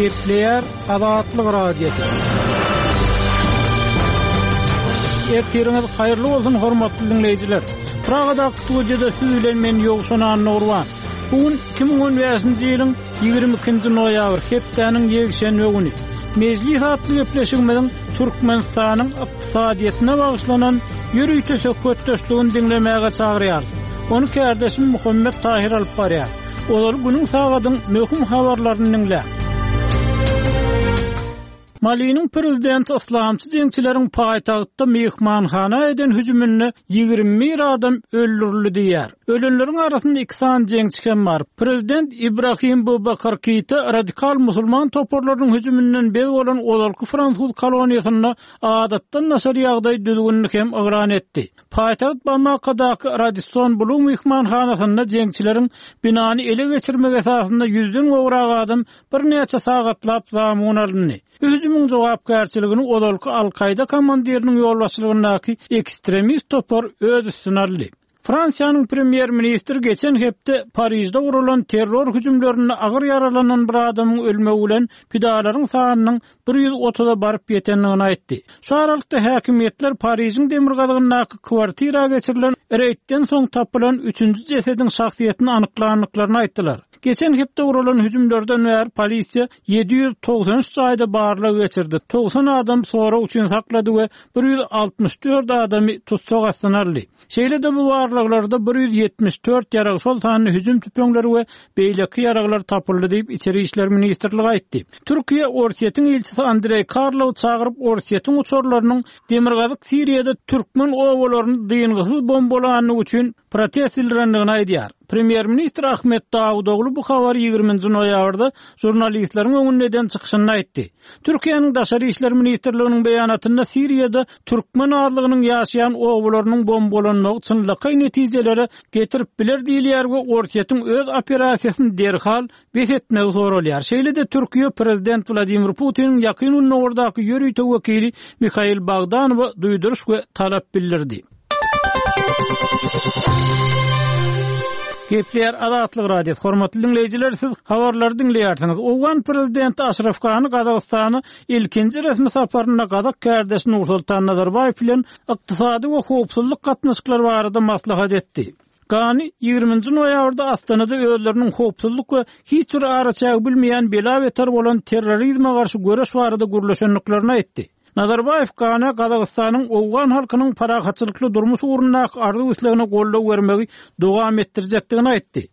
Gepleýär Azatlyk Radiosy. Ertiriňiz haýyrly bolsun hormatly diňleýjiler. Pragadaky studiýada siz bilen men Ýowşan Annagurban. Bu gün 2015-nji ýylyň 22-nji noýabr, hepdäniň ýekşenbe güni. Mejlis atly gepleşigimiziň Türkmenistanyň ykdysadyýetine bagyşlanan ýörite söhbetdeşligini diňlemäge çagyrýarys. Ony kärdeşim Muhammet Tahyr alyp barýar. Ozal günüň sagadyň möhüm habarlaryny diňläň. Maliniň prezidenti yslamçy jeňçileriň paýtagtda myhmanhana eden hüjüminde 21 adam öldürildi diýýär. Ölenleriň arasynda iki sany jeňçi hem bar. Prezident Ibrahim Bubakar Keýta radikal musulman toparlarynyň hüjüminden bez bolan ozalky fransuz koloniýasynda adatdan daşary ýagdaý düzgünini hem yglan etdi. Paýtagt Bamakadaky Radisson Blu myhmanhanasynda jeňçileriň binany ele geçirmegi esasynda ýüzden gowrak adam birnäçe sagatlap zamun alyndy. Bu hüjümiň jogapkärçiligini ozalky Al-Kaýda komandiriniň ýolbaşçylygyndaky ekstremist topar öz üstüne aldy. Fransiýanyň premýer-ministri geçen hepde Parižde guralan terror hüjümlerinde agyr ýaralanan bir adamyň ölmegi bilen pidalaryň sanynyň 130-a baryp ýetendigini aýtdy. Şu aralykda häkimiýetler Parižiň demirgazygyndaky kwartira geçirilen reýdden soň tapylan üçünji jesediň şahsyýetini anyklandyklaryny aýtdylar. Geçen hepde guralan hüjümlerden bäri polisiýa 793 jaýda barlag geçirdi, 90 adam sorag üçin saklady we 164 adamy tussag astyna aldy. Şeýle-de bu barlaglarda 174 ýarag, şol sanda hüjüm tüpeňleri we beýleki ýaraglar tapyldy diýip, Içeri işler ministrligi aýtdy. Türkiýe Orsýetiň ilçisi Andreý Karlowy çagyryp, Orsýetiň uçarlarynyň demirgazyk Siriýada türkmen obalaryny dyngysyz bombalandygy üçin protest bildirendigini aýdýar. Premýer-ministr Ahmet Dawutoglu bu habary ýigriminji noýabrda žurnalistleriň öňünde eden çykyşynda aýtdy. Türkiýäniň Daşary işler ministrliginiň beýanatynda Siriýada türkmen azlygynyň ýaşaýan obalarynyň bombalanmagy çynlakaý netijelere getirip biler diýilýär we Orsýetiň öz operasiýasyny derhal bes etmegi soralýar. Şeýle-de Türkiýe prezident Wladimir Putiniň Ýakyn Gündogardaky ýörite wekili Mihail Bogdanowa duýduryş we talap bildirdi. Gepleýär Azatlyk Radiosy. Hormatly diňleýjiler, siz habarlary diňleýärsiňiz. Owgan prezidenti Aşraf Gani Gazagystana ilkinji resmi saparynda gazak kärdeşi Nursultan Nazarbaýew bilen ykdysady we howpsuzlyk gatnaşyklary barada maslahat etdi. Gani ýigriminji noýabrda Astanada özleriniň howpsuzlyk we hiç bir araçägi bilmeýän bela-beter bolan terrorizme garşy göreş barada gürleşendiklerini aýtdy. Nazarbaýew Ganä Gazagystanyň owgan halkynyň parahatçylykly durmuş ugrundaky arzuw-islegine goldaw bermegi dowam etdirjekdigini aýtdy.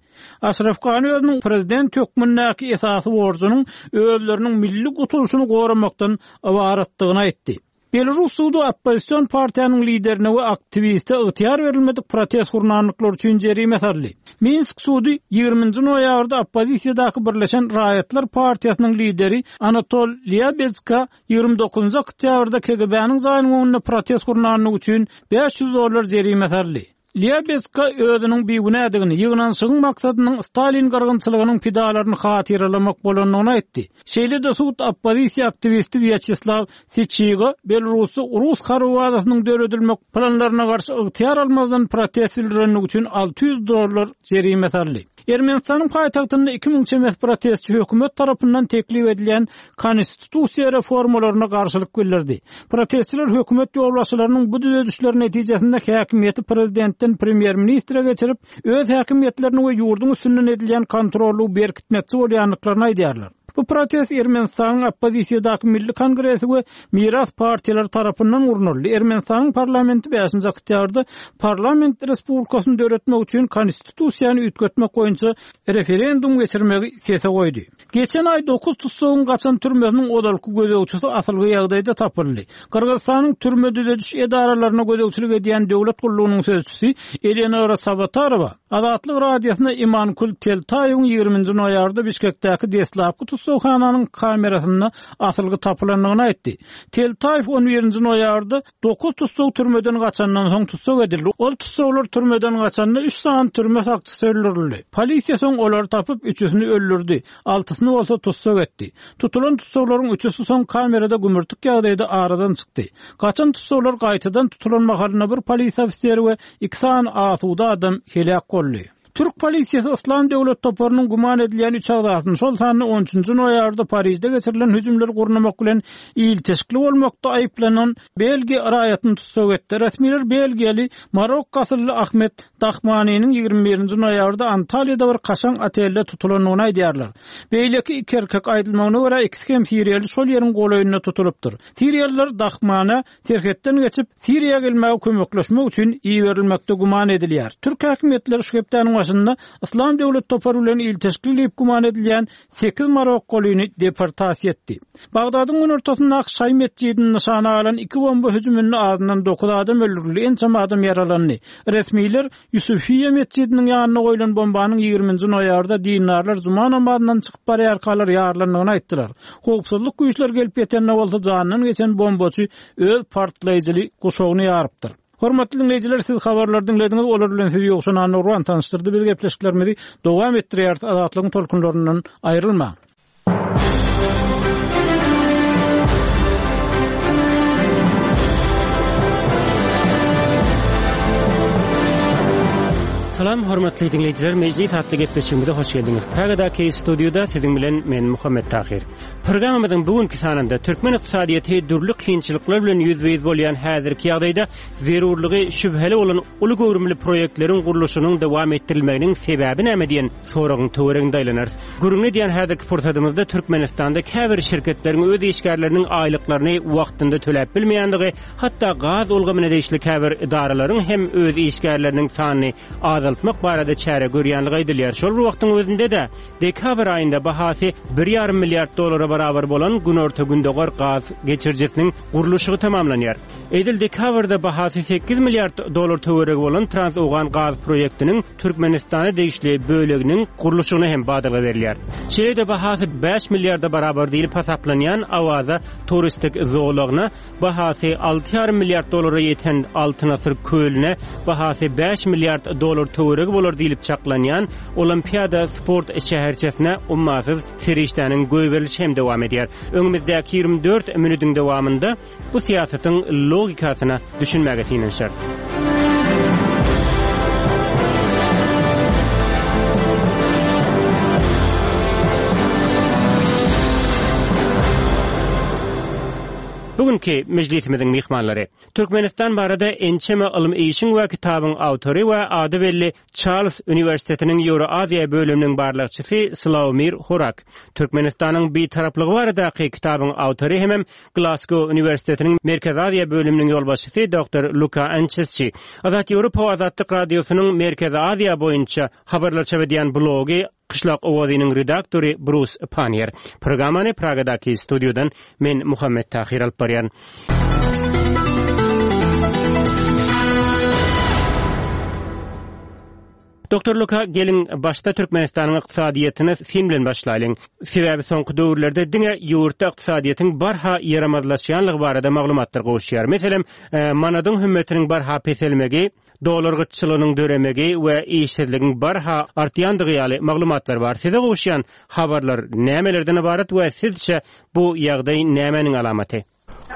Aşraf Gani özüniň prezident hökmündäki esasy borjunyň özleriniň milli gutulyşyny goramakdan ybaratdygyny aýtdy. Belarus sudy oppozision partiýanyň liderine we aktiwiste ygtyýar berilmedik protest gurnandyklary üçin jerime saldy. Minsk sudy ýigriminji noýabrda oppozisiýadaky Birleşen raýatlar partiýasynyň lideri Anatol Lýabedzka 29 oktýabrda KGB-niň jaýynyň öňünde protest gurnandygy üçin 500 dollar jerime saldy. Lýabezka özüniň bigünädigini, ýygnanyşygyň maksadynyň Stalin gyrgynçylygynyň pidalaryny hatyralamak bolandygyny aýtdy. Şeýle-de sud oppozisiýa aktiwisti Wýaçeslaw Syçiga Belarusda rus harby bazasynyň döredilmek planlaryna garşy ygtyýar almazdan protest bildirenligi üçin 600 dollar jerime saldy. Ermenistanyň paýtagtynda 2000 çemesi protestçi hökümet tarapyndan teklip edilýän konstitusiýa reformalaryna garşylyk bildirdi. Protestçiler hökümet ýolbaşçylarynyň bu düzedişler netijesinde häkimiýeti prezidentden premýer-ministre geçirip, öz häkimiýetlerini we ýurduň üstünden edilýän kontrollygy berkitmekçi bolýandyklaryny aýdýarlar. Bu protest Ermenistanyň oppozisiýadaky Milli kongresi we Miras partiýalary tarapyndan gurnaldy. Ermenistanyň parlamenti bäşinji oktýabrda parlament respublikasyny döretmek üçin konstitusiýany üýtgetmek boýunça referendum geçirmegi sese goýdy. Geçen aý dokuz tussagyň gaçan türmesiniň ozalky gözegçisi asylgy ýagdaýda tapyldy. Gyrgyzystanyň türme-düzediş edaralaryna gözegçilik edýän döwlet gullugynyň sözçüsi Eleonora Sabatarowa Azatlyk Radiosyna Imankul Teltaýewiň ýigriminji noýabrda Bişkekdäki deslapky tussaghananyň kamerasynda asylgy tapylandygyny aýtdy. Teltaýew on birinji noýabrda Dokuz tussag türmeden gaçandan soň tussag edildi. Ol tussaglar türmeden gaçanda üç sany türme sakçysy öldürildi. Polisiýa soň olary tapyp, üçüsini öldürdi, altysyny bolsa tussag etdi. Tutulan tussaglaryň üçüsi soň kamerada gümürtik ýagdaýda aradan çykdy. Gaçan tussaglar gaýtadan tutulan mahalynda bir polisiýa ofiseri we iki sany asuda adam heläk boldy. Türk polisiýasy Yslam döwlet toparynyň güman edilýän üç agzasyny, şol sanda on üçünji noýabrda Parižde geçirilen hüjümleri gurnamak bilen ilteşikli bolmakda aýyplanan belgiýa raýatyny tussag etdi. Resmiler belgiýaly marokko asylly Ahmed Dahmaniniň 21 nji noýabrda Antalýada bir kaşaň otelde tutulandygyny aýdýarlar. Beýleki iki erkek, aýdylmagyna görä, ikisi hem siriýaly şol ýeriň golaýynda tutulypdyr. Siriýalylar Dahmana serhetden geçip, Siriýa gelmäge kömekleşmek üçin iberilmekde güman edilýär. Türk häkimiýetleri şu hepdäniň başynda Yslam döwlet topary bilen ilteşikli diýip güman edilýän sekiz marokkolyny deportasiýa etdi. Bagdadyň günortasyndaky şaýy metjidini nyşana alan iki bomba hüjüminde azyndan dokuz adam öldürildi, ençeme adam ýaralandy. Resmiler Ýusufiýe metjidiniň ýanynda goýlan bombanyň 20 nji noýabrda dindarlar juma namazyndan çykyp barýarkalar ýarylandygyny aýtdylar. Howpsuzlyk güýçleri gelip ýetende bolsa janyndan geçen bombaçy öz partlaýjyly guşagyny ýarypdyr. Hormatly diňleýjiler, siz habarlary diňlediňiz, olar bilen sizi Ýowşan Annagurban tanyşdyrdy. Biz gepleşiklerimizi dowam etdirýäris, Azatlygyň tolkunlaryndan aýrylmaň. Salam hormatly diňleýjiler, Mejlis atly gepleşigimize hoş geldiňiz. Pragadaky studiýada siziň bilen men Muhammet Tahyr. Programmamyzyň bu günki sanynda türkmen ykdysadyýeti dürli kynçylyklar bilen ýüzbe-ýüz bolýan häzirki ýagdaýda zerurlygy şübheli bolan uly göwrümli proýektleriň gurluşygynyň dowam etdirilmeginiň sebäbi näme diýen soragyň töwereginde aýlanarys. Gürrüňini edýän häzirki pursadymyzda Türkmenistanda käbir şirketleriň öz işgärleriniň aýlyklaryny wagtynda töläp bilmeýändigi, hatda gaz ulgamyna degişli käbir edaralaryň hem öz işgärleriniň sanyny azaltmak barada çäre görýänligi aýdylýar. Şol bir wagtyň özünde-de, dekabr aýynda bahasy bir ýarym milliard dollara barabar bolan Günorta-Gündogar gaz geçirijisiniň gurluşygy tamamlanýar. Edil dekabrda bahasy sekiz milliard dollar töweregi bolan Trans-Owgan gaz proýektiniň Türkmenistana degişli böleginiň gurluşygyna hem badalga berilýär. Şeýle-de bahasy bäş milliarda barabar diýlip hasaplanýan Awaza turistik zolagyna, bahasy alty ýarym milliard dollara ýeten Altyn asyr kölüne, bahasy bäş milliard dollar töweregi bolar diýlip çaklanýan Olimpiada sport şäherçesine ummasyz serişdäniň goýberilişi hem dowam edýär. Öňümizdäki 24 minutiň dowamynda Bu syýasatyň logikasyna düşünmäge synanyşarys. Bu günki mejlisimiziň myhmanlary, Türkmenistan barada ençeme ylmy işiň we kitabyň awtory we ady belli Çarlz uniwersitetiniň Ýewroaziýa bölüminiň barlagçysy Slawomir Horak, Türkmenistanyň Bitaraplygy baradaky kitabyň awtory hemem Glasgow uniwersitetiniň Merkezi Aziýa bölüminiň ýolbaşçysy doktor Luka Ançesçi, Azat Ýewropa we Azatlyk Radiosynyň Merkezi Aziýa boýunça habarlar çap edýän blogy Kyşlak owazynyň redaktory Brus Panniýer. Programmany Pragadaky studiýadan men Muhammet Tahyr alyp barýaryn. Doktor Luka, geliň, başda Türkmenistanyň ykdysadyýetine syn bilen başlaýlyň. Sebäbi soňky döwürlerde diňe ýurtda ykdysadyýetiň barha ýaramazlaşýanlygy barada maglumatlar gowuşýar. Meselem, manadyň hümmetiniň barha peselmegi, dollar gytçylygynyň döremegi we işsizligiň barha artýandygy ýaly maglumatlar bar. Size gowuşýan habarlar nämelerden ybarat we sizçe bu ýagdaý nämäniň alamaty?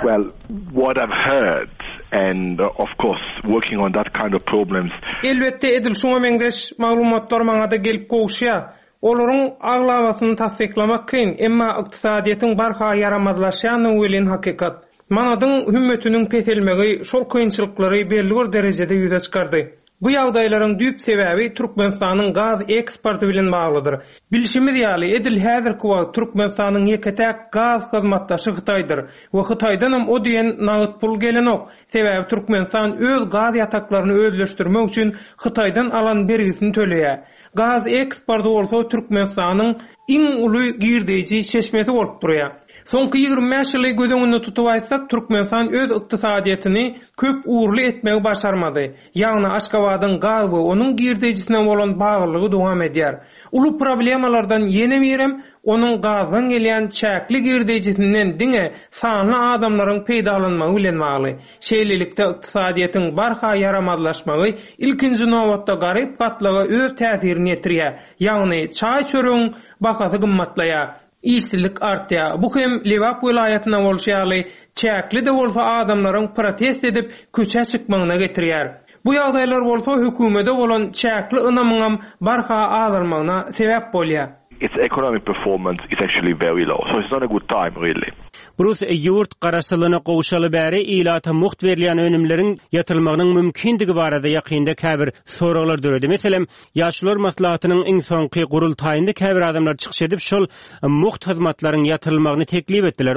Well, what I've heard and of course working on that kind of problems. Elbetde edil şuňa meňzeş maglumatlar maňada gelip gowuşýar. Olaryň aglabasyny tassyklamak kyn, emma ykdysadyýetiň barha ýaramazlaşýandygy welin hakykat. Manadyň hümmetiniň peselmegi şol kynçylyklary belli bir derejede ýüze çykardy. Bu ýagdaýlaryň düýp sebäbi Türkmenistanyň gaz eksporty bilen baglydyr. Bilşimiz ýaly, edil häzirki wagt Türkmenistanyň ýeke-täk gaz hyzmatdaşy Hytaýdyr we Hytaýdanam o diýen nagt pul gelenok, sebäbi Türkmenistan öz gaz ýataklaryny özleşdirmek üçin Hytaýdan alan bergisini töleýär. Gaz eksporty bolsa Türkmenistanyň iň uly girdeýji çeşmesi bolup durýar. Soňky 25 ýyly göz öňünde tutup aýtsak, Türkmenistan öz ykdysadyýetini köp ugurly etmegi başarmady. Ýagny Aşgabadyň gaz we onuň girdeýjisine bolan baglylygy dowam edýär. Uly problemalardan ýene birem onuň gazdan gelýän çäkli girdeýjisinden diňe sanly adamlaryň peýdalanmagy bilen bagly. Şeýlelikde ykdysadyýetiň barha ýaramazlaşmagy ilkinji nobatda garyp gatlaga öz täsirini ýetirýär. Ýagny çaý-çöregiň bahasy gymmatlaýar. Işsizlik artýar. Bu hem Lebap welaýatynda bolşy ýaly, çäkli-de bolsa adamlaryň protest edip, köçä çykmagyna getirýär. Bu ýagdaýlar bolsa hökümede bolan çäkli ynamyňam barha azalmagyna sebäp bolýar. Its economic performance is actually very low, so it's not a good time really. Brus, ýurt garaşsyzlygyna gowşaly bäri ilata mugt berilýän önümleriň ýatyrylmagynyň mümkindigi barada ýakynda käbir soraglar döredi. Meselem, Ýaşulular maslahatynyň iň soňky gurultaýynda käbir adamlar çykyş edip, şol mugt hyzmatlaryň ýatyrylmagyny teklip etdiler.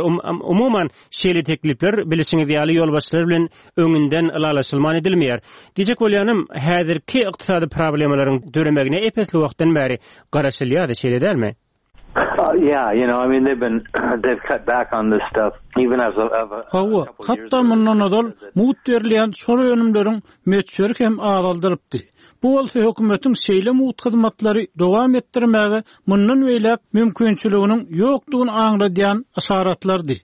Umuman, şeýle teklipler, bilişiňiz ýaly, ýolbaşçylar bilen öňünden ylalaşylman edilmeýär. Diýjek bolýanym, häzirki ykdysady problemalaryň döremegine ep-esli wagtdan bäri garaşylýardy, şeýle dälmi? Hawa, hatda mundan ozal mugt berilýän şol önümleriň möçberi hem azaldylypdy. Bu bolsa hökümetiň şeýle mugt hyzmatlary dowam etdirmäge mundan beýläk mümkinçiliginiň ýokdugyny aňladýan yşaratlardy.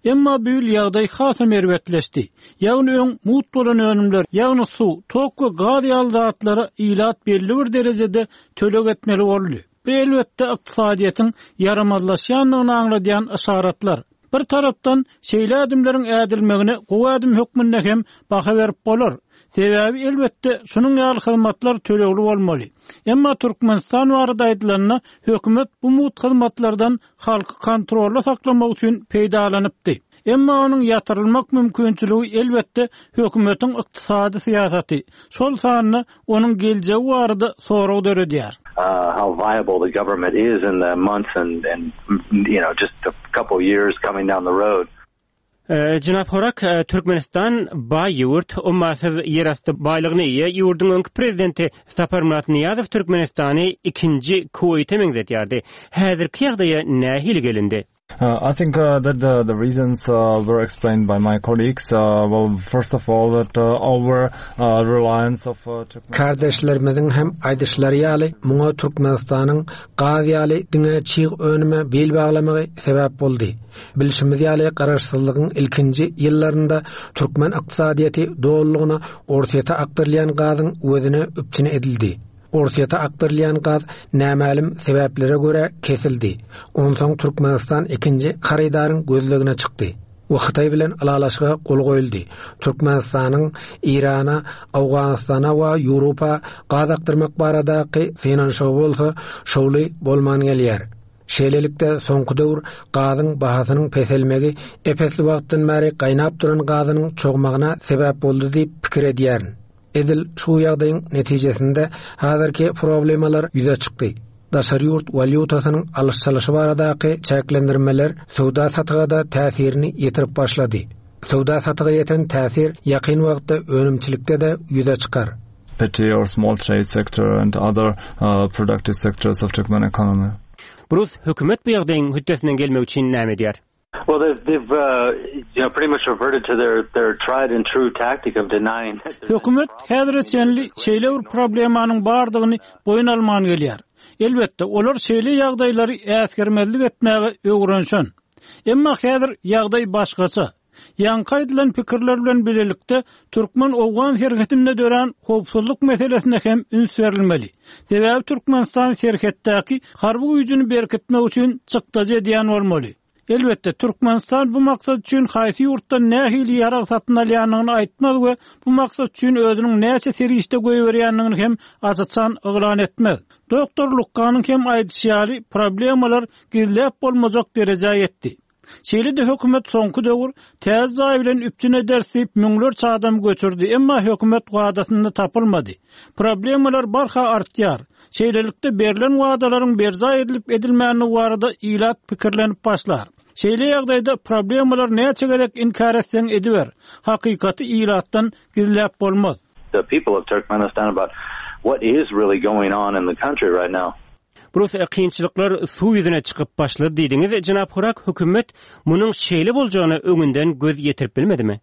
Emma bu ýyl ýagdaý hasam erbetleşdi. Ýagny öň mugt bolan önümler, ýagny suw, tok we gaz ýaly zatlara ilat belli bir derejede töleg etmeli boldy. Bu elbetde ykdysadyýetiň ýaramazlaşýandygyny aňladýan yşaratlar. Bir tarapdan, şeýle ädimleriň ädilmegine gowy ädim hökmünde hem baha berip bolar. Sebäbi elbetde şunuň ýaly hyzmatlar tölegli bolmaly. Emma Türkmenistan barada aýdylanda, hökümet bu mugt hyzmatlardan halky kontrolda saklamak üçin peýdalanypdy. Emma onuň ýatyrylmak mümkinçiligi elbetde hökümetiň ykdysady syýasaty, şol sanda onuň geljegi barada sorag döredýär. How viable the government is in the months and and you know just a couple years coming down the road. Jenap Horak, Türkmenistan baý ýurt, ummasyz ýerasty baýlygyna eýe. Ýurduň öňki prezidenti Saparmyrat Nyýazow Türkmenistany ikinji Kuweýte meňzedýärdi. Häzirki ýagdaýa nähili gelindi? I think that the the reasons were explained by my colleagues. Well, first of all that our reliance of Kärdeşlerimiziň hem aýdyşlary ýaly, muňa Türkmenistanyň gaz ýaly diňe çig önüme bil baglamagy sebäp boldy. Bilşimiz ýaly, garaşsyzlygyň ilkinji ýyllarynda türkmen ykdysadyýeti dolulygyna Orsýete akdyrylýan gazyň öwezine üpjün edildi. Orsýete akdyrylýan gaz nämälim sebäplere görä kesildi. Onsoň Türkmenistan ikinji hyrydaryň gözlegine çykdy we Hytaý bilen ylalaşyga gol goýuldy. Türkmenistanyň Eýrana, Owganystana we Ýewropa gaz akdyrmak baradaky synanyşygy bolsa şowly bolman gelýär. Şeýlelikde, soňky döwür gazyň bahasynyň peselmegi ep-esli wagtdan bäri gaýnap duran gazynyň çogmagyna sebäp boldy diýip pikir edýärin. Edil şu ýagdaýyň netijesinde häzirki problemalar ýüze çykdy. Daşary ýurt walýutasynyň alyş-çalyşy baradaky çäklendirmeler söwda-satyga-da täsirini ýetirip başlady. Söwda-satyga ýeten täsir ýakyn wagtda önümçilikde-de ýüze çykar. Petty or small trade sector and other productive sectors of Turkmen economy. Brus, hökümet bu ýagdaýyň hötdesinden gelmek üçin näme edýär? Well they've they've you know pretty much reverted to their their tried and true tactic of denying that there's Hökümet häzire çenli şeýle bir problemanyň bardygyny boýun alman gelýär. Elbetde, olar şeýle ýagdaýlary äsgermezlik etmäge öwrenişen. Emma häzir ýagdaý başgaça. Ýaňky aýdylan pikirler bilen bilelikde türkmen-owgan serhedinde dörän howpsuzlyk meselesine hem üns berilmeli. Sebäbi Türkmenistan serhetdäki harby güýjüni berkitmek üçin çykdajy edýän bolmaly. Elbetde, Türkmenistan bu maksat üçin haýsy ýurtdan nähili ýarag satyn alýandygyny aýtmaz we bu maksat üçin özüniň näçe serişde goýberýändigini hem aç-açan yglan etmez. Doktor Lukkanyň hem aýdyşy ýaly, problemalar gizläp bolmajak derejä ýetdi. Şeýle-de hökümet soňky döwür täze jaý bilen üpjün ederis diýip müňlerçe adamy göçürdi, emma hökümet wadasynda tapylmady. Problemalar barha artýar. Şeýlelikde berlen wadalaryň berjaý edilip-edilmändigi barada ilat pikirlenip başlar. Şeýle ýagdaýda problemalary näçe gezek inkär etseň ediber, hakykaty ilatdan gizläp bolmaz. The people of Turkmenistan about what is really going on in the country right now. Brus, kynçylyklar suw ýüzüne çykyp başlady diýdiňiz, jenap Hurak, hökümet munuň şeýle boljagyna öňünden göz ýetirip bilmedimi?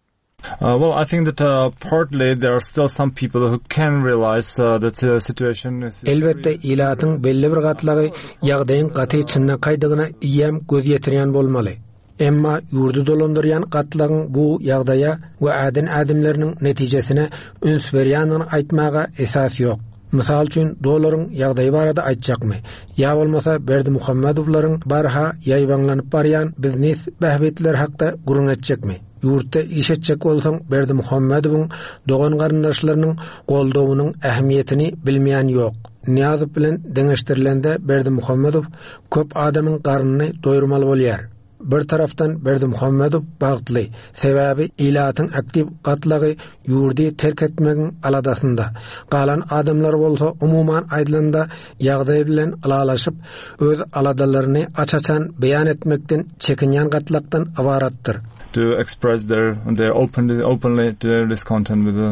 Well, I think that partly there are still some people who can realize that the situation is Elbetde, ilatyň belli bir gatlagy ýagdaýyň gaty çynlakaýdygyna eýýäm göz ýetirýän bolmaly. Emma ýurdy dolandyrýan gatlagyň bu ýagdaýa we äden ädimleriniň netijesine üns berýändigini aýtmaga esas ýok. Mysal üçin, dollaryň ýagdaýy barada aýtjakmy? Ýa bolmasa Berdimuhamedowlaryň barha ýaýbaňlanyp barýan biznes bähbitleri hakda gürrüň etjekmi? Ýurtda iş etjek bolsaň Berdimuhamedowyň dogan-garyndaşlarynyň goldawynyň ähmiýetini bilmeýän ýok. Nyýazow bilen deňeşdirilende Berdimuhamedow köp adamyň garnyny doýurmaly bolýar. Bir tarapdan Berdimuhamedow bagtly, sebäbi ilatyň aktiw gatlagy ýurdy terk etmegiň aladasynda. Galan adamlar bolsa umuman aýdylanda ýagdaý bilen ylalaşyp, öz aladalaryny aç-açan beýan etmekden çekinýän gatlakdan ybaratdyr. To express their their openly openly their discontent with the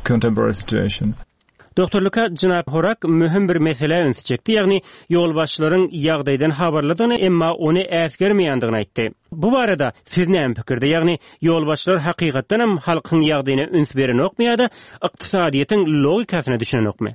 contemporary situation. Doktor Luka jenap Horak möhüm bir meselä ünsi çekdi, ýagny ýolbaşçylaryň ýagdaýdan habarlydygyny, emma ony äsgermeýändigini aýtdy. Bu barada siz näme pikirde, ýagny ýolbaşçylar hakykatdanam halkyň ýagdaýyna üns berenokmy ýa-da ykdysadyýetiň logikasyna düşünenokmy?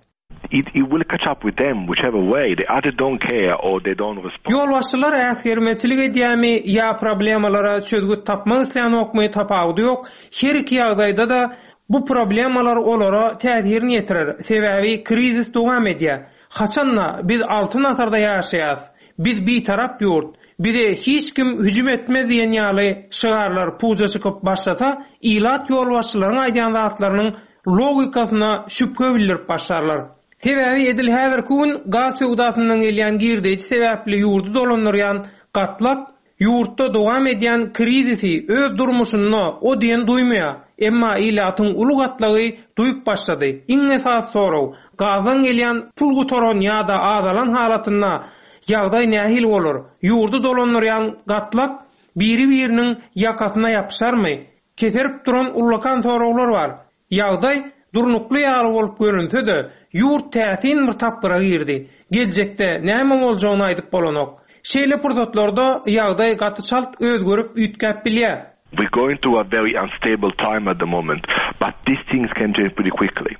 It it will catch up with them whichever way, they either don't care or they don't respond. Ýolbaşçylar äsgermezçilik edýärmi ýa problemalara çözgüt tapmak islänokmy tapawudy ýok, her iki ýagdaýda-da bu problemalar olara täsirini ýetirer, sebäbi krizis dowam edýär. Haçan-da biz altyn asyrda ýaşaýas, biz bitarap ýurt, bize hiç kim hüjüm etmez diýen ýaly şygarlar puja çykyp başlasa, ilat ýolbaşçylaryň aýdýan zatlarynyň logikasyna şübhe bildirip başlarlar. Sebäbi edil häzirki gün gaz söwdasyndan gelýän girdeýji sebäpli ýurdy dolandyrýan gatlak ýurtda dowam edýän krizisi öz durmuşynda o diýen duýmaýar. Emma ilatyň uly gatlagy duýup başlady. Iň esasy sorag, gazdan gelýän pul gutaran ýa-da azalan halatynda ýagdaý nähili bolar? Ýurdy dolandyrýan gatlak biri-biriniň ýakasyna ýapyşarmy? Keserip duran ullakan soraglar bar. Ýagdaý durnukly ýaly bolup görünse-de, ýurt täsin bir tapgyra girdi. Geljekde näme boljagyny aýdyp bolanok. Şeýle pursatlarda ýagdaý gaty çalt özgerip, üýtgäp bilýär. We're going through a very unstable time at the moment, but these things can change pretty quickly.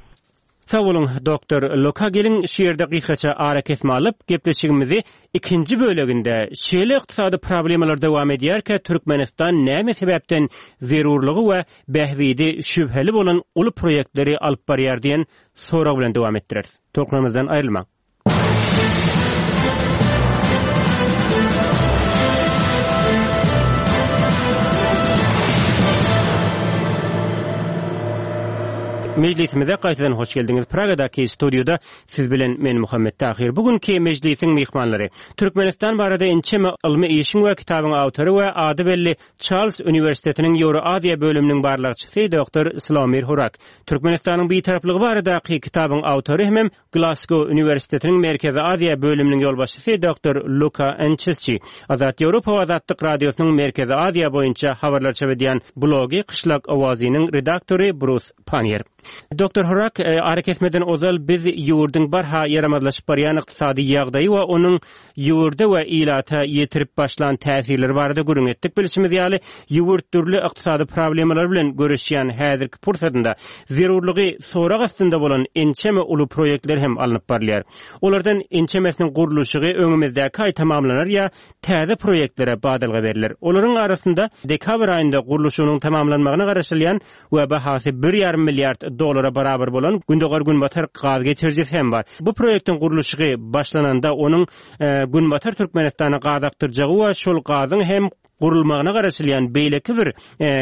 Sag boluň, doktor Loka geliň şu ýerde gysgaça arakesme alyp, gepleşigimizi ikinji böleginde şeýle ykdysady problemalar dowam edýärkä Türkmenistan näme sebäpden zerurlygy we bähbidi şübheli bolan uly proýektleri alyp barýar diýen sorag bilen dowam etdireris. Tolkunlarymyzdan aýrylmaň. Mejlisimize gaýtadan hoş geldiňiz. Pragadaky studiýada siz bilen men Muhammet Tahyr. Bu günki mejlisiň myhmanlary Türkmenistan barada ençeme ylmy işiň we kitabyň awtory we ady belli Çarlz uniwersitetiniň Ýewroaziýa bölüminiň barlagçysy doktor Slawomir Hurak, Türkmenistanyň Bitaraplygy baradaky kitabyň awtory hemem Glasgow uniwersitetiniň Merkezi Aziýa bölüminiň ýolbaşçysy doktor Luka Ençesçi, Azat Ýewropa we Azatlyk Radiosynyň Merkezi Aziýa boýunça habarlar çap edýän blogy Kyşlak owazynyň redaktory Brus Panniýer. Doktor Horak, arakesmeden ozal biz ýurduň barha ýaramazlaşyp barýan ykdysady ýagdaýy we onuň ýurda we ilata ýetirip başlan täsirleri barada gürrüň etdik. Bilşimiz ýaly, ýurt dürli ykdysady problemalar bilen göreşýän häzirki pursatynda zerurlygy sorag astynda bolan ençeme uly proýektler hem alnyp barylýar. Olardan ençemesiniň gurluşygy öňümizdäki aý tamamlanar ýa täze proýektlere badalga berler. Olaryň arasynda dekabr aýynda gurluşygynyň tamamlanmagyna garaşylýan we bahasy bir ýarym milliard dollara barabar bolan Gündogar-Günbatar gaz geçirijisi hem bar. Bu proýektiň gurluşygy başlananda onuň Günbatar Türkmenistana gaz akdyrjagy we şol gazyň hem gurulmagyna garaşylýan beýleki bir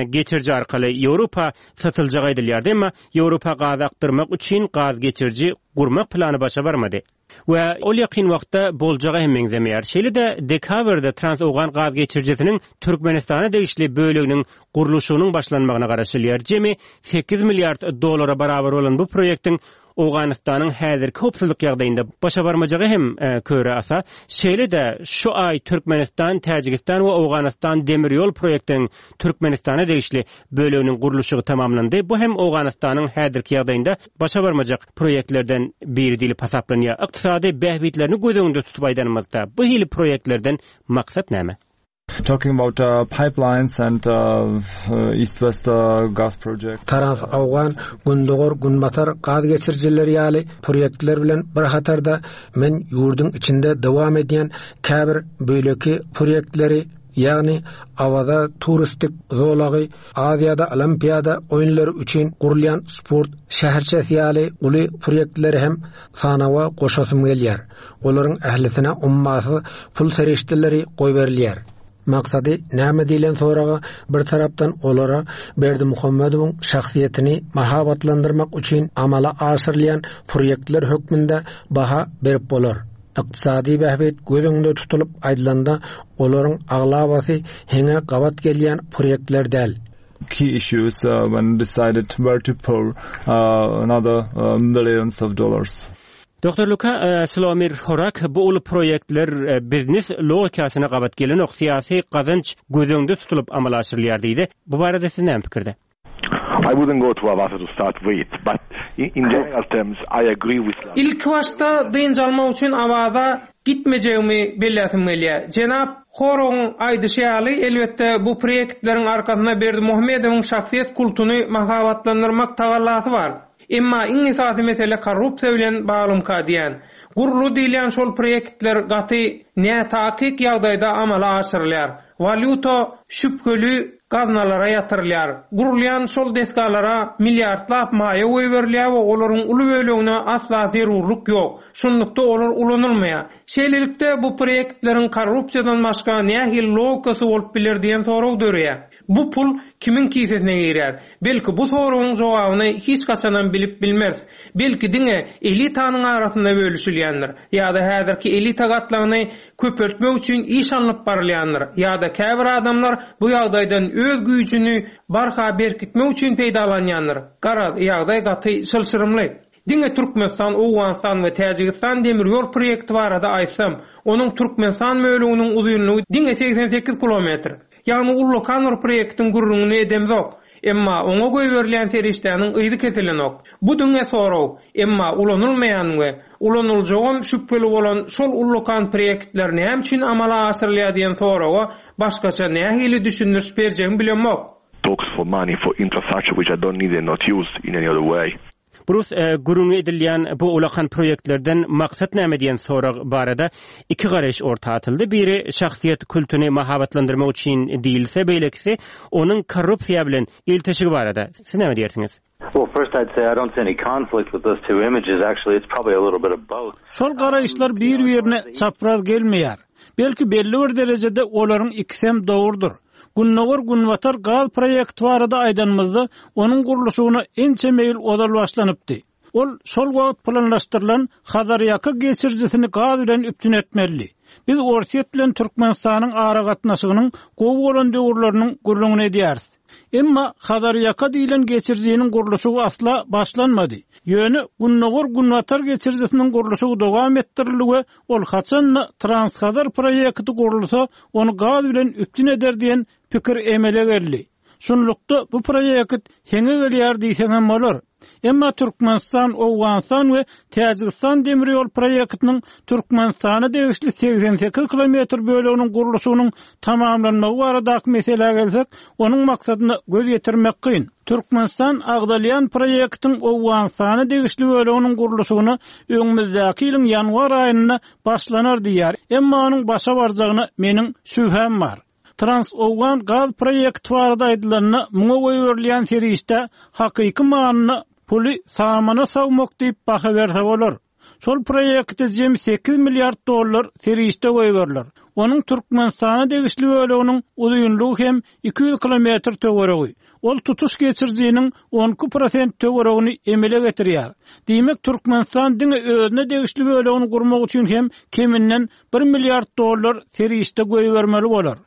geçiriji arkaly Ýewropa satyljagy aýdylýardy. Emma Ýewropa gaz akdyrmak üçin gaz geçiriji gurmak plany başa barmady. We ol ýakyn wagtda boljaga hem meňzemeýär. Şeýle-de dekabrda Trans-Owgan gaz geçirijisiniň Türkmenistana degişli böleginiň gurluşygynyň başlanmagyna garaşylýar. Jemi sekiz milliard dollara barabar bolan bu proýektiň Owganystanyň häzirki howpsuzlyk ýagdaýynda başa barmajagy hem köre asa. Şeýle-de şu aý Türkmenistan, Täjigistan we Owganystan demir ýol proýektiniň Türkmenistana degişli böleginiň gurluşygy tamamlandy. Bu hem Owganystanyň häzirki ýagdaýynda başa barmajak proýektlerden biri diýlip hasaplanýar. Ykdysady bähbitlerini göz öňünde tutup aýdanymyzda, bu hili proýektlerden maksat näme? Talking about pipelines and East-West gas projects. Trans-Owgan, Gündogar-Günbatar gaz geçirijileri ýaly proýektler bilen bir hatarda men ýurduň içinde dowam edýän käbir beýleki proýektleri ýagny Awaza turistik zolagy, Aziýada Olimpiada oýunlary üçin gurulýan sport şäherçesi ýaly uly proýektleri hem sanawa goşasym gelýär. Olaryň ählisine ummasyz pul serişdeleri goýberilýär. Maksady näme diýlen soraga bir tarapdan olara Berdimuhamedowyň şahsyýetini mahabatlandyrmak üçin amala aşyrylýan proýektler hökmünde baha berip bolar. Ykdysady bähbit göz öňünde tutulyp aýdylanda, olaryň aglabasy heňe gabat gelýän proýektler däl. Key issues when decided where to pour another millions of dollars. Doktor Luka Slomir Horak bu uly proýektler biznes logikasyna gabat gelenok, syýasy gazanç göz öňünde tutulyp amala aşyrylýar diýdi. Bu barada siz näme pikirde? I wouldn't go to Avaza to start with, but in general terms I agree with. Ilkibaşda dynç almak üçin Awaza gitmejegimi belläsim gelýär. Jenap Horagyň aýdyşy ýaly, elbetde, bu proýektleriň arkasynda Berdimuhamedowyň şahsyýet kultuny mahabatlandyrmak tagallasy bar. Emma iň esasy mesele korrupsiýa bilen baglymyka diýän. Guruldy diýilýän şol proýektler gaty nätakyk ýagdaýda amala aşyrylýar. Walýuta şübheli gaznalara ýatyrylýar. Gurulýan şol desgalara milliardlap maýa goýberilýär we olaryň uly bölegine asla zerurlyk ýok. Şunlukda olar ulanylmaýar. Şeýlelikde, bu proýektleriň korrupsiýadan başga nähili logikasy bolup biler diýen sorag döreýär. Bu pul kimiň kisesine girýär? Belki bu soragyň jogabyny hiç haçanam bilip bilmeris. Belki diňe elitanyň arasynda bölüşilýändir. Ýa-da häzirki elita gatlagyny köpeltmek üçin iş alnyp barylýandyr. Ýa-da käbir adamlar bu ýagdaýdan öz güýjüni barha berkitmek üçin peýdalanýandyr. Garaz, ýagdaý gaty çylşyrymly. Diňe Türkmenistan, Owganystan we Täjigistan demir ýol proýekti barada aýtsam, onuň Türkmenistan böleginiň uzynlygy diňe 88 kilometr. Ýagny ullakan bir proýektiň gürrüňini edemzok. Emma oňa goýberilýän serişdäniň yzy kesilenok. Bu diňe sorag. Emma ulanylmaýan we ulanyljagam şübheli bolan şol ullakan proýektler näme üçin amala aşyrylýar diýen soraga başgaça nähili düşündiriş berjegimi bilemok. Talks for money for infrastructure which I don't need and not used in any other way. Brus, gürrüňi edilýän bu ulakan proýektlerden maksat näme diýen sorag barada iki garaýyş orta atyldy. Biri şahsyýet kultuny mahabatlandyrmak üçin diýilse, beýlekisi onuň korrupsiýa bilen ilteşigi barada. Siz näme diýersiňiz? Well, first I'd say I don't see any conflict with those two images. Actually, it's probably a little bit of both. Şol garaýyşlar bir-birine çapraz gelmeýär. Belki belli bir derejede olaryň ikisem dogrudyr. Gündogar-Günbatar gaz proýekti barada aýdanymyzda, onuň gurluşygyna ençeme ýyl ozal başlanypdy. Ol şol wagt planlaşdyrylan Hazarýaka geçirijisini gaz bilen üpjün etmelidi. Biz Orsýet bilen Türkmenistanyň aragatnaşygynyň gowy bolan döwürleriniň gürrüňini edýäris. Emma Hazarýaka diýlen geçirijiniň gurluşygy asla başlanmady. Ýöne Gündogar-Günbatar geçirijisiniň gurluşygy dowam etdirildi we ol haçan-da Transhazar proýekti gurulsa, ony gaz bilen üpjün eder diýen pikir emele geldi. Şunlukda, bu proýekt heňe gelýär diýseňem bolar. Emma Türkmenistan, Owganystan we Täjigistan demir ýol proýektiniň Türkmenistana degişli 88 kilometr böleginiň gurluşygynyň tamamlanmagy baradaky meselä gelsek, onuň maksadyna göz ýetirmek kyn. Türkmenistan agzalýan proýektiň Owganystana degişli böleginiň gurluşygyna öňümizdäki ýylyň ýanwar aýynda başlanar diýýär, emma onuň başa barjagyna meniň şübhäm bar. Trans-Owgan gaz proýekti barada aýdylanda, muňa goýberilýän serişdä hakyky manyda puly samana sowmak diýip baha berse bolar. Şol proýekte jemi sekiz milliard dollar serişde goýberiler. Onuň Türkmenistana degişli böleginiň uzynlygy hem 200 kilometr töweregi. Ol tutuş geçirijiniň 12 prosent töweregini emele getirýär. Diýmek, Türkmenistan diňe özüne degişli bölegini gurmak üçin hem keminden bir milliard dollar serişde goýbermeli bolar.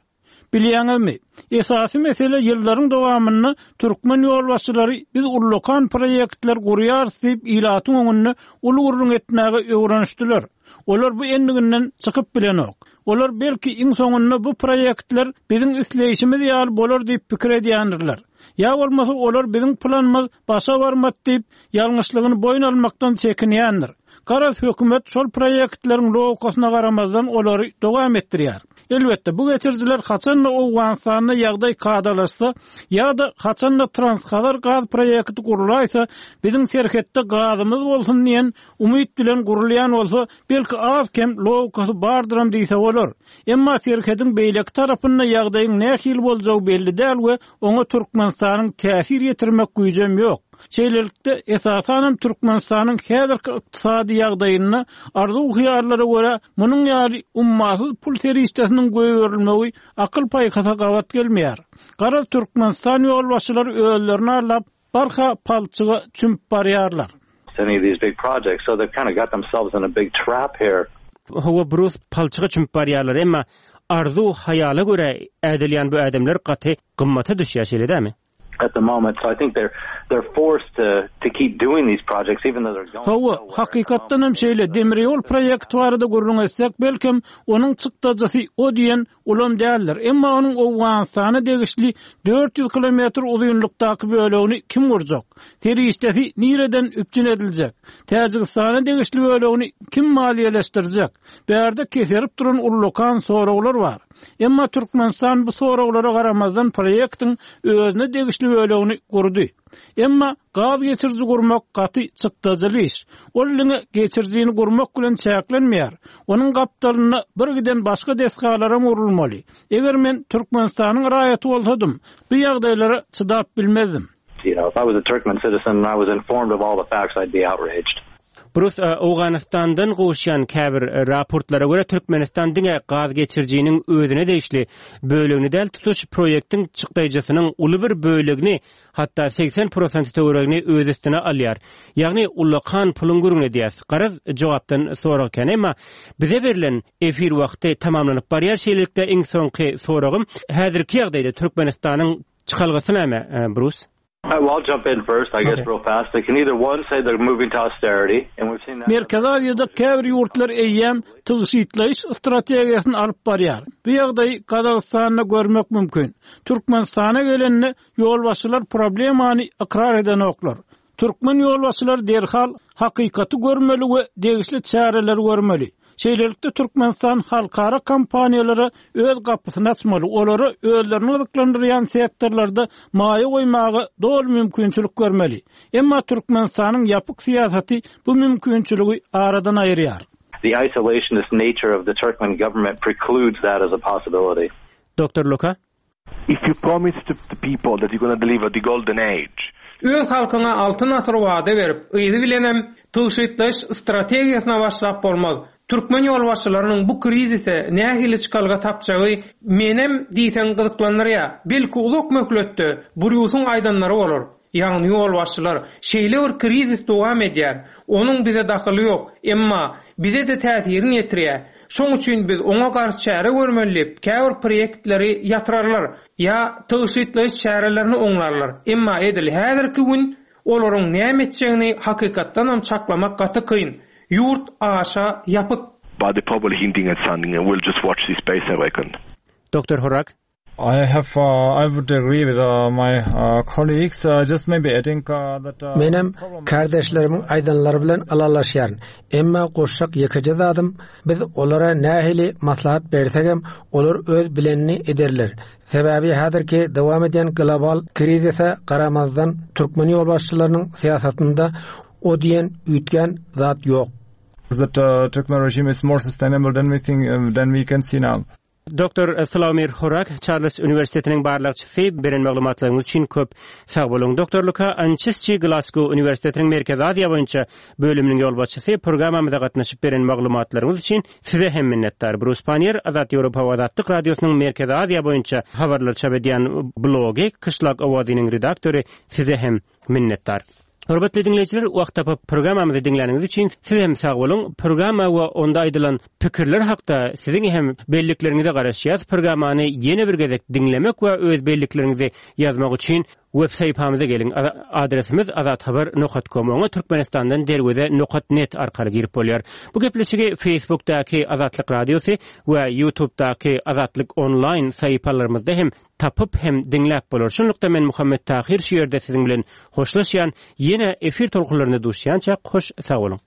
Bilýäňizmi, esasy mesele ýyllaryň dowamynda türkmen ýolbaşçylary biz ullakan proýektler gurýarys diýip ilatyň öňünde uly gürrüň etmäge öwrenişdiler. Olar bu endiginden çykyp bilenok. Olar belki iň soňunda bu proýektler biziň isleýşimiz ýaly bolar diýip pikir edýändirler. Ýa bolmasa olar biziň planymyz başa barmady diýip ýalňyşlygyny boýun almakdan çekinýändir. Garaz hökümet şol proýektleriň logikasyna garamazdan olary dowam etdirýär. Elbetde, bu geçirijiler haçan-da Owganystanda ýagdaý kadalaşsa ýa-da haçan-da Transhazar gaz proýekti gurulaýsa, biziň serhetde gazymyz bolsun diýen umyt bilen gurulýan bolsa, belki az-kem logikasy bardyram diýse bolar. Emma serhediň beýleki tarapynda ýagdaýyň nähili boljagy belli däl we oňa Türkmenistanyň täsir ýetirmek güýjem ýok. Şeýlelikde, esasanam Türkmenistanyň häzirki ykdysady ýagdaýynda arzuw-hyýallara görä munuň ýaly ummasyz pul serişdesiniň goýberilmegi akyl-paýhasa gabat gelmeýär. Garaz, Türkmenistan ýolbaşçylary özlerini aldap, barha palçyga çümüp barýarlar. Any of these big projects, so they've kind of got themselves in a big trap here. Hawa, Brus, palçyga çümüp barýarlar, emma arzuw-hyýala görä ädilýän bu ädimler gaty gymmata düşýär, şeýle dälmi? At the moment, so I think they're they're forced to to keep doing these projects even though they're going Hawa, hakykatdan hem şeýle, demir ýol proýekti barada gürrüň etsek, belkem, onuň çykdajysy o diýen ulam däldir, emma onuň Owganystana degişli 400 kilometr uzynlykdaky bölegini kim gurjak? Serişdesi nireden üpjün ediljek? Täjigistana degişli bölegini kim maliýeleşdirjek? Bärde keserip duran ullakan soraglar bar. Emma Türkmenistan bu soraglara garamazdan proýektiň özüne degişli bölegini gurdy. Emma gaz geçiriji gurmak gaty çykdajyly iş. Ol diňe geçirijini gurmak bilen çäklenmeýär. Onuň gapdalynda bir giden başga desgalaram gurulmaly. Eger men Türkmenistanyň raýaty bolsadym, bu ýagdaýlara çydap bilmezdim. You know, if I was a Turkmen citizen and I was informed of all the facts, I'd be outraged. Brus, Owganystandan gowuşýan käbir raportlara görä, Türkmenistan diňe gaz geçirijiniň özüne degişli bölegini däl, tutuş proýektiň çykdaýjysynyň uly bir bölegini, hatda 80 prosenti töweregini öz üstüne alýar. Ýagny ullakan puluň gürrüňini edýäs. Garaz, jogapdan sorag kän. Emma bize berlen efir wagty tamamlanyp barýar. Şeýlelikde, iň soňky soragym, häzirki ýagdaýda Türkmenistanyň çykalgasy näme, Brus? Merkezi Aziýada käbir ýurtlar eýýäm tygşytlaýyş strategiýasyny alyp barýar. Bu ýagdaýy Gazagystanda görmek mümkin. Türkmenistana gelende ýolbaşçylar problemany ykrar edenoklar. Türkmen ýolbaşçylary derhal hakykaty görmeli we degişli çäreleri görmeli. Şeýlelikde Türkmenistan halkara kompaniýalara öz gapysyny açmaly, olara özlerini gyzyklandyrýan sektorlarda maýa goýmaga doly mümkinçilik bermeli. Emma Türkmenistanyň ýapyk syýasaty bu mümkinçiligi aradan aýyrýar. The isolationist nature of the Turkmen government precludes that as a possibility. Doktor Luka? If you promise to the people that you're gonna deliver the golden age. Öz halkyňa altyn asyr wada berip, yzy bilenem tygşytlaýyş strategiýasyna başlap bolmaz. Türkmen ýolbaşçylarynyň bu krizise nähili çykalga tapjagy menem diýseň gyzyklandyrýar. Belki uzak möhletde Brýusyň aýdanlary bolar. Ýagny ýolbaşçylar, şeýle bir krizis dowam edýär, onuň bize dahyly ýok, emma bize-de täsirini ýetirýär. Şoň üçin biz oňa garşy çäre görmeli diýip, käbir proýektleri ýatyrarlar ýa tygşytlaýyş çärelerini oňlarlar. Emma edil häzirki gün olaryň näme etjegini hakykatdanam çaklamak gaty kyn. Ýurt aşa ýapyk. But they're probably hinting at something and we'll just watch this space I reckon. Doktor Horak. I have uh, I would agree with uh, my uh, colleagues uh, just maybe adding uh, that uh, Menem kärdeşlerimiň aýdanlary bilen ylalaşýaryn. Emma goşjak ýekeje zadym, biz olara nähili maslahat bersegem, olar öz bilenini ederler. Sebäbi häzirki dowam edýän global krizise garamazdan, türkmen ýolbaşçylarynyň syýasatynda o diýen üýtgän zat ýok. That the Turkmen regime is more sustainable than we think than we can see now. Doktor Slawomir Horak, Çarlz uniwersitetiniň barlagçysy, beren maglumatlaryňyz üçin köp sag boluň. Doktor Luka Ançisçi, Glasgow uniwersitetiniň Merkezi Aziýa boýunça bölüminiň ýolbaşçysy, programmamyza gatnaşyp beren maglumatlaryňyz üçin size hem minnetdar. Brus Pannier, Azat Ýewropa we Azatlyk Radiosynyň Merkezi Aziýa boýunça habarlary çap edýän blogy Kyşlak owazynyň redaktory, size hem Minnetdar. Hormatly diňleýjiler, wagt tapyp programmamyzy diňläniňiz üçin siz hem sag boluň. Programma we onda aýdylan pikirler hakda siziň hem bellikleriňize garaşýas. Programmany ýene bir gezek diňlemek we öz bellikleriňizi ýazmak üçin web sahypamyza geliň. Adresimiz azathabar nokat kom. Oňa Türkmenistandan derweze nokat net arkaly girip bolýar. Bu gepleşigi Facebookdaky Azatlyk Radiosy we YouTubedaky Azatlyk Online sahypalarymyzda hem tapyp hem diňläp bolar. Şunlukda men Muhammet Tahyr şu ýerde siziň bilen hoşlaşýan, ýene efir tolkunlarynda duşýançak hoş sag boluň.